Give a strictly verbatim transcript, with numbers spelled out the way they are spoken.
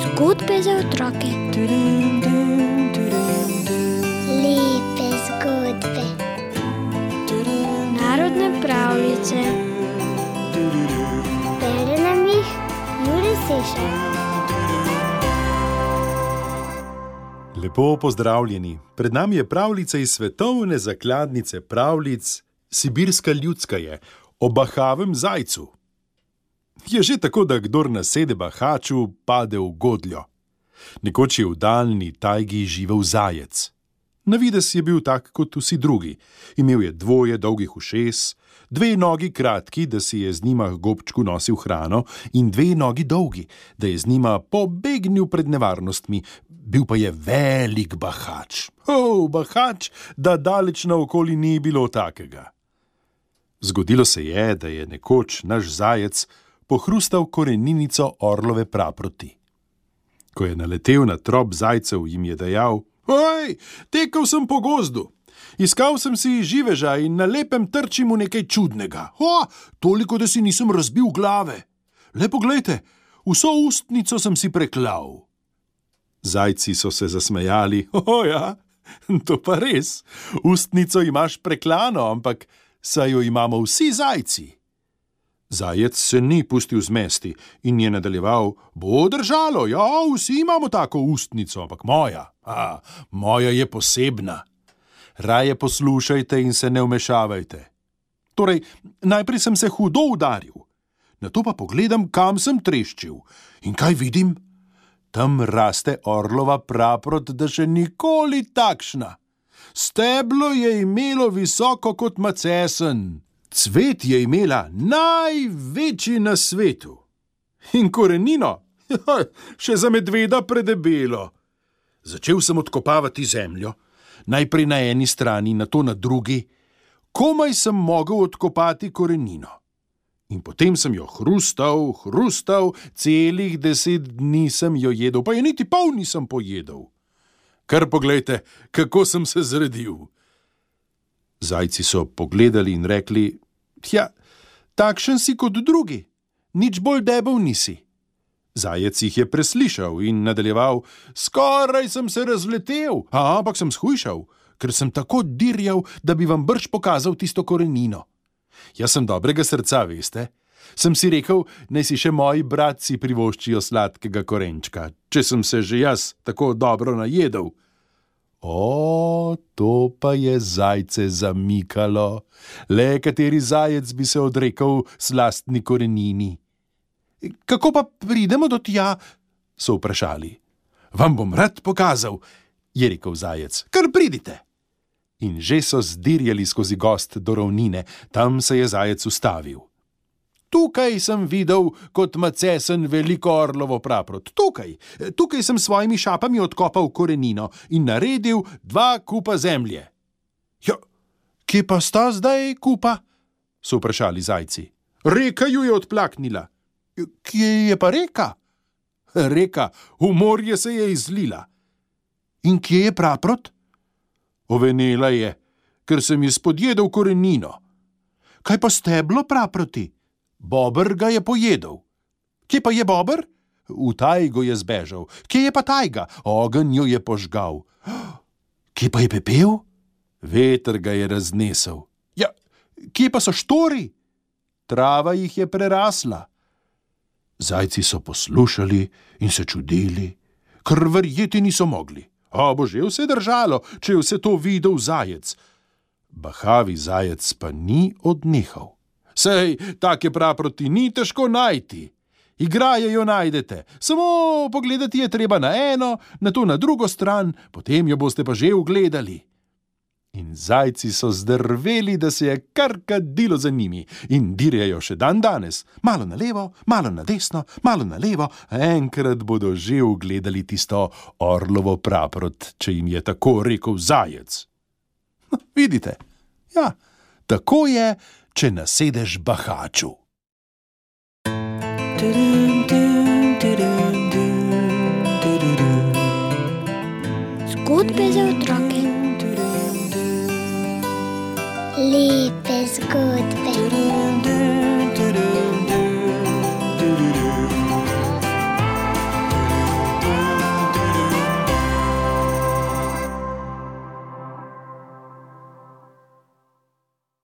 Zgodbe za otroke. Lepe zgodbe. Narodne pravljice. Bere nam jih Jure Sešar. Lepo pozdravljeni. Pred nami je pravljica iz svetovne zakladnice pravljic Sibirska ljudska je o bahavem zajcu. Je že tako, da kdor nasede bahaču, pade v godljo. Nekoč je v daljni tajgi živel zajec. Na videz je bil tak kot vsi drugi. Imel je dvoje dolgih ušes, dve nogi kratki, da si je z njima k gobčku nosil hrano, in dve nogi dolgi, da je z njima pobegnil pred nevarnostmi. Bil pa je velik bahač. O, bahač, da daleč naokoli ni bilo takega. Zgodilo se je, da je nekoč naš zajec pohrustal koreninico orlove praproti. Ko je naletel na trop zajcev, jim je dejal: Oj, tekel sem po gozdu. Iskal sem si živeža in na lepem trčim v nekaj čudnega. O, toliko, da si nisem razbil glave. Le poglejte, vso ustnico sem si preklal. Zajci so se zasmejali. O ja, to pa res. Ustnico imaš preklano, ampak saj jo imamo vsi zajci. Zajec se ni pustil zmesti in je nadaljeval: Bo držalo, ja, vsi imamo tako ustnico, ampak moja, a, moja je posebna. Raje poslušajte in se ne vmešavajte. Torej, najprej sem se hudo udaril, nato pa pogledam, kam sem treščil. In kaj vidim? Tam raste orlova praprot, da še nikoli takšna. Steblo je imelo visoko kot macesen. Cvet je imela največji na svetu. In korenino, še za medveda predebelo. Začel sem odkopavati zemljo, najprej na eni strani, nato na drugi. Komaj sem mogel odkopati korenino. In potem sem jo hrustal, hrustal, celih deset dni sem jo jedel, pa je niti pol nisem pojedel. Kar poglejte, kako sem se zredil. Zajci so pogledali in rekli: Tja, takšen si kot drugi, nič bolj debel nisi. Zajec jih je preslišal in nadaljeval: Skoraj sem se razletel, a, ampak sem shujšal, ker sem tako dirjal, da bi vam brž pokazal tisto korenino. Jaz sem dobrega srca, veste. Sem si rekel, naj si še moji bratci privoščijo sladkega korenčka, če sem se že jaz tako dobro najedel. O, to pa je zajce zamikalo. Le kateri zajec bi se odrekel slastni korenini. Kako pa pridemo do tja? So vprašali. Vam bom rad pokazal, je rekel zajec. Kar pridite. In že so zdirjali skozi gozd do ravnine, tam se je zajec ustavil. Tukaj sem videl kot macesen veliko orlovo praprot. Tukaj, tukaj sem svojimi šapami odkopal korenino in naredil dva kupa zemlje. Ja, kje pa sta zdaj kupa? So vprašali zajci. Reka ju je odplaknila. Kje je pa reka? Reka, v morje se je izlila. In kje je praprot? Ovenela je, ker sem ji spodjedel korenino. Kaj pa steblo praproti? Bober ga je pojedel. Kje pa je bober? V tajgo je zbežal. Kje je pa tajga? Ogenj jo je požgal. Kje pa je pepel? Veter ga je raznesel. Ja, kje pa so štori? Trava jih je prerasla. Zajci so poslušali in se čudili, ker verjeti niso mogli. A bo že vse držalo, če je vse to videl zajec. Bahavi zajec pa ni odnehal. Sej, take praproti ni težko najti. Igraje jo najdete, samo pogledati je treba na eno, nato na drugo stran, potem jo boste pa že ugledali. In zajci so zdrveli, da se je kar kadilo za njimi in dirjajo še dan danes. Malo na levo, malo na desno, malo na levo, enkrat bodo že ugledali tisto orlovo praprot, če jim je tako rekel zajec. Vidite, ja, tako je, če nasedeš bahaču. Zgodbe za otroke. Lepe zgodbe.